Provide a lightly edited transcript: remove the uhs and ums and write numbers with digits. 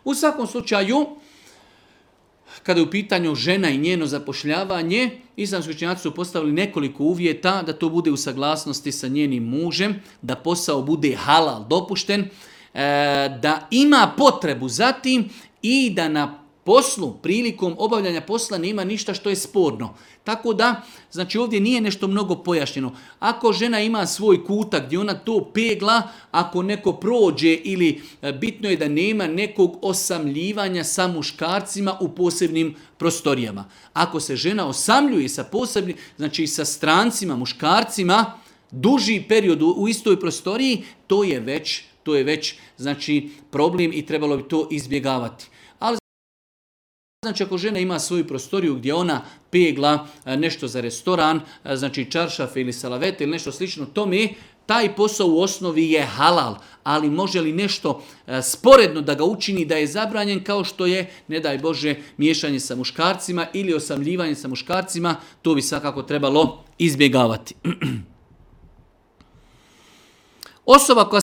U svakom slučaju, kada je u pitanju žena i njeno zapošljavanje, islamski učenjaci su postavili nekoliko uvjeta da to bude u saglasnosti sa njenim mužem, da posao bude halal, dopušten, da ima potrebu za tim i da na poslu, prilikom obavljanja posla nema ništa što je sporno. Tako da, znači ovdje nije nešto mnogo pojašnjeno. Ako žena ima svoj kutak gdje ona to pegla, ako neko prođe ili bitno je da nema nekog osamljivanja sa muškarcima u posebnim prostorijama. Ako se žena osamljuje sa posebnim, znači sa strancima, muškarcima, duži period u istoj prostoriji, to je već znači problem i trebalo bi to izbjegavati. Znači ako žena ima svoju prostoriju gdje ona pegla nešto za restoran, znači čaršafe ili salavete ili nešto slično tome, taj posao u osnovi je halal, ali može li nešto sporedno da ga učini da je zabranjen kao što je, ne daj Bože, miješanje sa muškarcima ili osamljivanje sa muškarcima, to bi svakako trebalo izbjegavati. Osoba koja